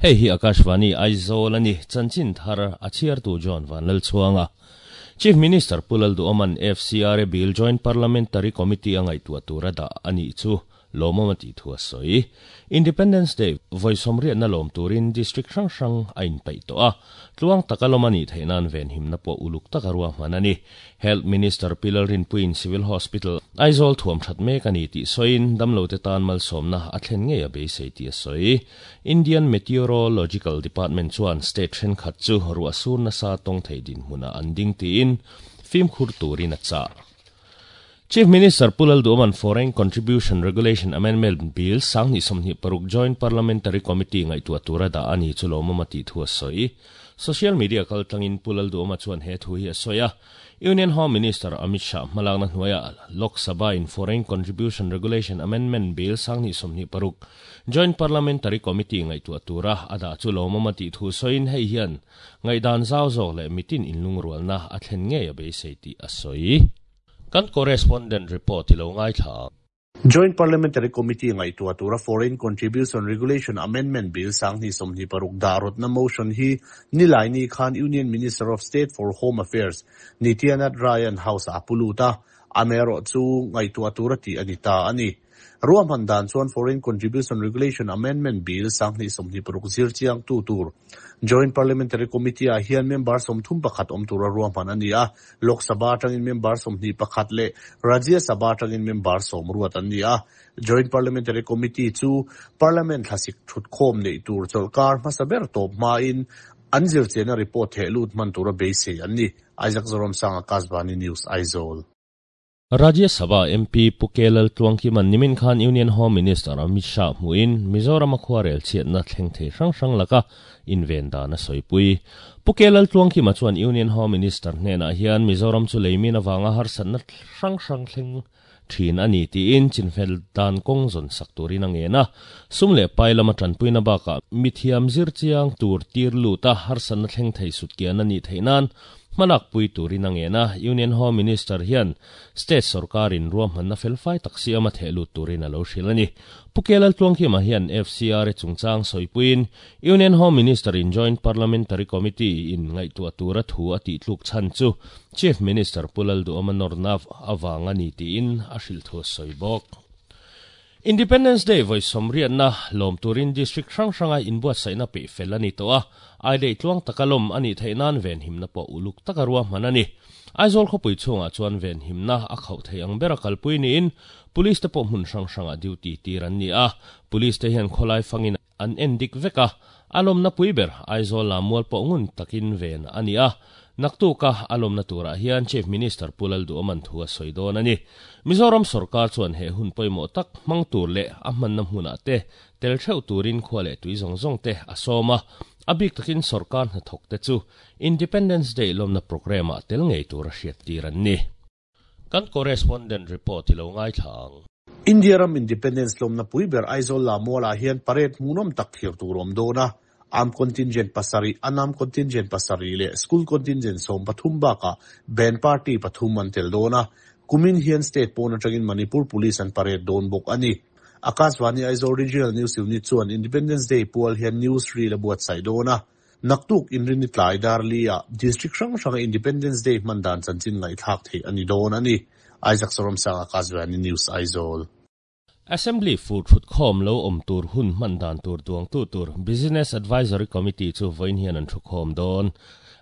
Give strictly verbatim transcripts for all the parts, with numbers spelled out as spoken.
Hei hi Akashvani Aizawl ani chanchin thar a chhiar tu John Vanlal chuanga Chief Minister Pulal Duoman F C R A Bill Joint Parliamentary Committee angai tua tura da ani chu lomamati thua soi Independence Day voisomria na lom turin district rang rang ain pai to a tluang takalomani theinan ven himna po uluk takarwa manani Health Minister Pilar Rinpuin Civil Hospital Aizawl thuam that mek ani ti soin damlo te tan mal somna a thlen nge a beisei ti a soi Indian Meteorological Department chuan state then khat chu ruah sur na sa tong thei din hmuna an ding tiin fim khur turin a cha Chief Minister Pulal Duoman Foreign Contribution Regulation Amendment Bill sangni somni paruk Joint Parliamentary Committee ngai tua tura da ani chulomamati thua soi Social media kaltangin Pulal Duoma chuan he thu hi a soya Union Home Minister Amit Shah malangna hnuaia Lok Sabha in Foreign Contribution Regulation Amendment Bill sangni somni paruk Joint Parliamentary Committee ngai tua tura ada chulomamati thu soin hei hian ngai dan zau zawk le mitin inlung rualna a thlen nge a beisei ti a soi Kan correspondent report ilo ngai tha. Joint Parliamentary Committee ngai tua tura Foreign Contribution Regulation Amendment Bill sangni somni paruk darot na motion hi nilai ni khan Union Minister of State for Home Affairs Nityanand Ryan House apuluta amero chu ngai tua tura ti anita ani ruam dan chuan Foreign Contribution Regulation Amendment Bill sangni somni paruk zir chiang tu tur Joint Parliamentary Committee a hian member somthum pakhat om tura ruam han ani a Lok Sabha tangin member somni pakhat le Rajya Sabha tangin member somruat ani a Joint Parliamentary Committee chu Parliament thlasik thut khom nei tur cholkar hmasaber top ma in anzir chena report he lut man tura beisei ani Isaac Zorom Sang Akashvani News Aizawl Rajya Sabha M P Pukelal Tuangkiman Nimin Khan Union Home Minister Amit Shah muin Mizoram akhwarel chiatna thleng thei hrang hrang laka inven dana soipui Pukelal Tuangkima chuan Union Home Minister hnena hian Mizoram chu leimin awanga harsatna hrang hrang thleng thin ani tiin chinfel dan kong zon sak turin angena sumle pailama tanpuina baka mithiam zir chiang tur tir luta harsatna thleng thei sutkian ani theinan malak pui turin angena Union Home Minister hian State Sarkarin ruam hanna felfai taksi ama thelu turin alo hrilani Pukelal Tuangkima hian F C R chungchang soipuin Union Home Minister in Joint Parliamentary Committee in ngai tua tura thu ati tluk chan chu Chief Minister Pulal Duoma Nornav awanga ni tiin a hril thu soibok Independence Day voi somriat na lom turin district rang ranga inbuat saina pe felani to a ai dei tluang takalom ani theinan ven himna po uluk takarwa manani Aizawl khopui chunga chuan ven himna a khau thei ang bera kalpui ni in police te po hmun rang ranga duty tiran ni a police te hian kholai fangin an endik veka alom na puiber Aizawl lamual po ngun takin ven ani a naktuka alom na tura hian Chief Minister Pulal Duoman thua soidon ani Mizoram sarkar chuan he hun poimo tak mang tur le a hman na hmuna te tel theu turin khwale tui zong zong te asoma abik takin sarkar na thok te chu Independence Day lomna program a tel ngei tura hriat tiran ni kan correspondent report ilo ngai thang India ram Independence lomna puiber Aizawl lamuala hian parade munom tak thir turom dona Am contingent pasari anam contingent pasari le school contingent som pathum ba ka band party pathum an tel dona kumin hian state pona tangin Manipur police an parade don bok ani Akashvani Aizawl Regional News Unit chuan Independence Day pual hian news reel a buat sai dona naktuk inrini tlai darlia district hrang hrang Independence Day mandan chanchin ngai thak thei ani don ani Isaac Sorom Sang Akashvani News Aizawl Assembly fu thut khom lo om tur hun man dan tur duang tu tur Business Advisory Committee chu voin hian an thu khom don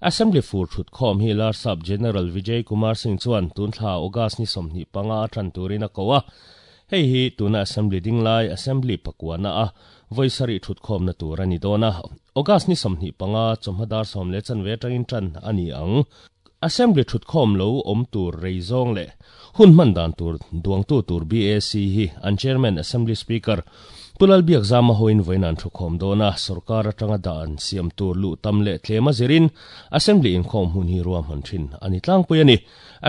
Assembly fu thut khom hi lar sub General Vijay Kumar Singh chuan tun thla August ni somni panga than turin a kowa hei hi tuna Assembly dinglai Assembly pakwana a voisari thut khom na tur ani dona August ni somni panga chomhadar som le chan ve tangin tran ani ang Assembly thut khom lo om tur reizong le hun man dan tur duang tu tur B A C hi an chairman Assembly Speaker Pulal Biak Zama hoin voinan thu khom dona sarkar atanga dan siam tur lu tam le tlema zirin Assembly in khom hun hi ruam han thin ani tlangpui ani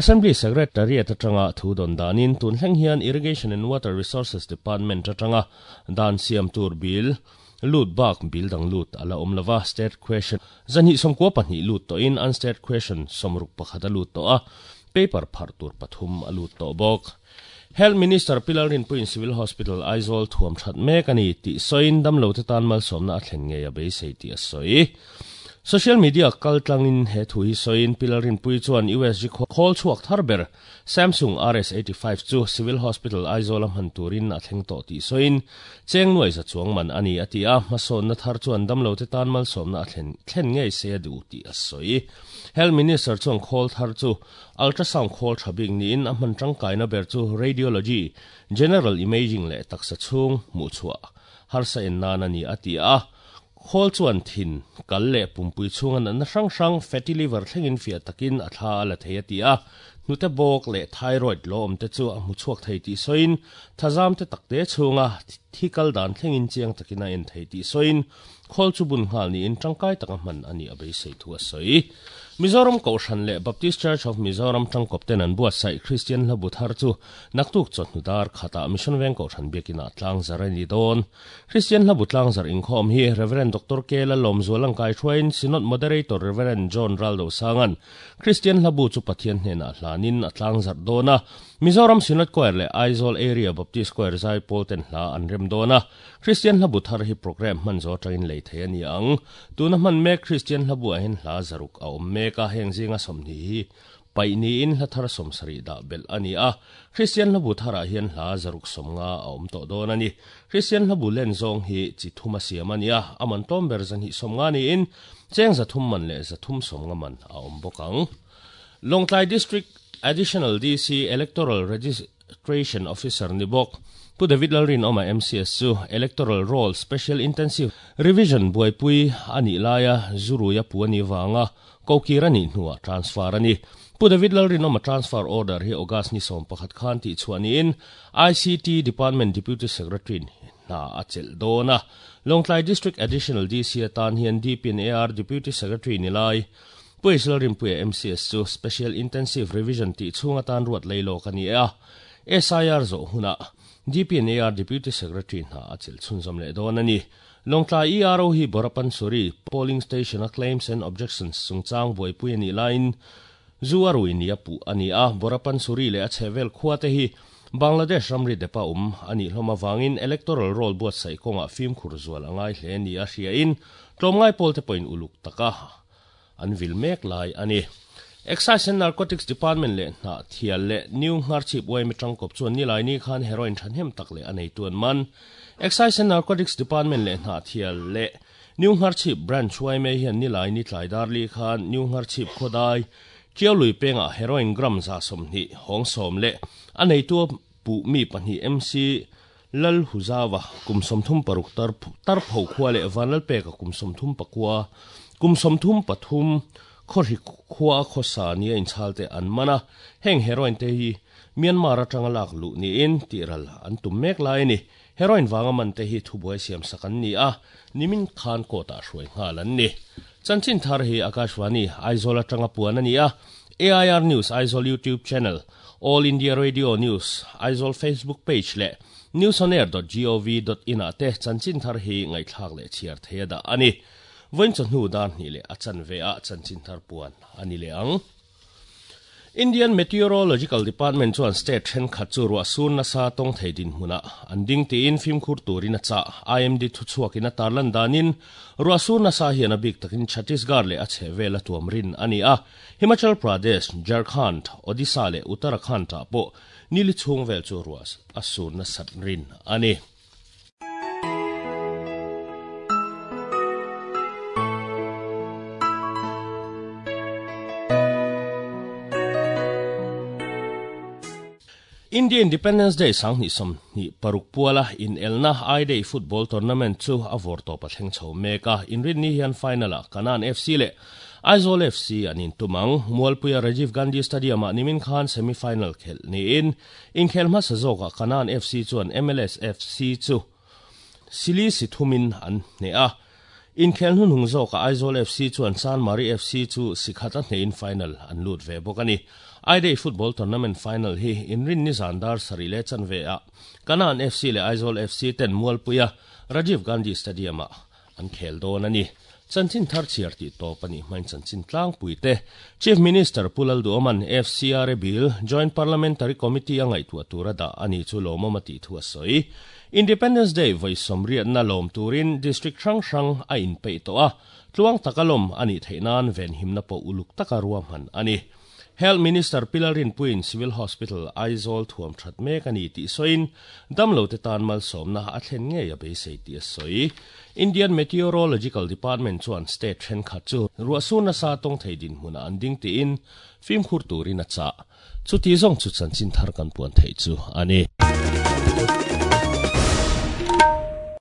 Assembly Secretariat atanga thu don danin tun hleng hian Irrigation and Water Resources Department atanga dan siam tur bill lut bak bil dang lut ala omlava state question zanhi somkwa pahnih lut to in unstate question somruk pakhata lut to a Paper phar tur pathum alut to bok. Health Minister Pilar Rinpuin Civil Hospital Aizawl thuam that mek ani ti soin damlo te tan mal somna a thlen nge a beisei ti a sawi. Social media kaltlangin he thu hi soin Pilar Rinpui chuan U S G khol chuak tharber Samsung R S eighty-five chu Civil Hospital Aizawl a hman turin a thleng to ti soin cheng nuai za chuang man ani atia hmasawn na thar chuan damlo te tan mal somna a thlen thlen ngei se a du ti a sawi. Health Minister chuan khol thar chu ultrasound khol thabik niin a hman tangkaina ber chu radiology, general imaging le taksa chung mu chua harsa en nan ani atia. Khol chuan thin kal le pumpui chunga na hrang hrang fatty liver thlengin fia takin a thla la thei atia. Nute bok le thyroid lom te chu a mu chuak thei ti soin thazam te takte chunga thikal dan thlengin chiang takina en thei ti soin khol chu bun ngal ni in tangkai taka man ani a beisei thu a soi. Mizoram Kohhran le Baptist Church of Mizoram tangkop ten an buat sai Christian hlabu thar chu naktuk chawhnu dar khata Mission Veng Kohhran biakina tlang zar ani dawn. Christian hlabu tlang zar inkhawm hi Reverend Doctor K Lalawm Zualang Kai Hruain Synod Moderator Reverend John Raldo Sangan Christian hlabu chu Pathian hnenah hlanin a tlang zar dawna. Mizoram Synod Choir le Aizawl Area Baptist Choir zai pawl ten hla an rem dawna. Christian hlabu thar hi program hman zo tangin lei thei ani ang. Tuna hman mek Christian hlabu a hin hla zaruk a awm mek ka heng zinga somni hi paini in hla thar somsari da bel ani a. Christian hlabu thara hian hla zaruk somnga a awm tawh dawn ani. Christian hlabu len zawng hi chi thuma siam ani a, aman tom ber zan hi somnga ni in cheng za thum man le za thum somnga man a awm bawk ang. Lawngtlai District Additional D C Electoral Registration Officer ni bawk Pu David Lalrin Oma M C S chu Electoral Roll Special Intensive Revision buaipui ani laia zuruia pu ani wanga kokir ani hnuah transfer ani. Pu David Lalrin Oma transfer order hi August ni som pakhat khan ti chuani in I C T Department Deputy Secretary na a chel dawna. Lawngtlai District Additional D C atan hian D P N A R Deputy Secretary ni lai Pu Lalrinpuia M C S chu Special Intensive Revision ti chhunga tan ruat leilo ka ni a. S I R zo huna D P N A R Deputy Secretary na a chel chhunzawm leh dawn ani. Lawngtlai E R O hi Borapan Suri polling station a claims and objections chungchang buaipui ani lain zuarui ni a pu ani a. Borapan Suri le a chhevel khua te hi Bangladesh ramri depa um ani hlawm awangin electoral roll buatsaih kawngah fimkhur zual angai hle ni a hria in tlawmngai pawl te pawhin uluk taka an vil mek lai ani. Excise and Narcotics Department le hna thial le New Ngharchhip Uaimi tangkawp chuan ni lai ni khan heroin thanhem tak le a nei tuan man. Excise and Narcotics Department le hna thial le New Ngharchhip Branch Uaime hian ni lai ni tlai dar li khan New Ngharchhip khodai Chiaului penga heroin gram za somhni hawng sawm le a nei tu pu mi pahnih M C Lal Huzawa kum sawmthum paruk tar tar pho khua le Vanlal peka kum sawmthum pakua kum sawmthum pathum khawhri khua khawsa nia inchhal te an mana. Heng heroin te hi Myanmar atanga lak lu niin tiral an tum mek lai ni. Heroin wanga man te hi thubuai siam sak an ni a, nimin khan kawtah hruai nghal an ni. Chanchin thar hi Akashvani Aizawl atanga puan ani a. A I R News Aizawl YouTube channel, All India Radio News Aizawl Facebook page le newsonair dot gov dot in a te chanchin thar hi ngaihthlak le chhiar thei a dah ani. Vawiin chawhnu dar hnih le a chan ve a chanchin thar puan ani le ang. Indian Meteorological Department chuan state thenkhat chu ruah sur nasa tawng thei din hmunah an ding tiin fimkhur turin a chah. I M D thu chhuakin a tarlan danin ruah sur nasa hian a bik takin Chhattisgarh le a chhehvel a tuam rin ani a. Himachal Pradesh, Jharkhand, Odisha le Uttarakhand ah pawh nili chhung vel chu ruah a sur nasat rin ani. India Independence Day sang ni som ni paruk puala in elna I Day football tournament chu a vor to pa thleng chho meka. Inrin ni hian final a Kanan F C le Aizawl F C an in tumang. Mualpuia Rajiv Gandhi Stadium a nimin khan semi final khel ni in inkhel hmasa zawka Kanan F C chuan M L S F C chu sili si thumin an hne a. Inkhel hun hung zawka Aizawl F C chuan San Mari F C chu sikhata hne in final an lut ve bawk ani. I Day football tournament final hi inrin ni zandar sari le chanve a Kanan F C le Aizawl F C ten Mualpuia Rajiv Gandhi Stadium a an khel dawn ani. Chanchin thar chiar ti to pani main chanchin tlang puite Chief Minister Pulal Duoman F C R A Bill Joint Parliamentary Committee angai tu atura da ani chu lomama ti thu soi Independence Day voi somriat na lom turin District Hrang Hrang a in pe to a tluang takalom ani theinan ven himna po uluk takarua man ani Health Minister Pilarin Puin Civil Hospital Aizawl thuam that mek ani ti soin damlo te tan mal somna a thlen nge ya beisei ti soi Indian Meteorological Department chuan state then khat chu ruasuna sa tong theidin hmuna anding ti in fim khur turin a cha chu ti zong chu chanchin thar kan puan thei chu ani.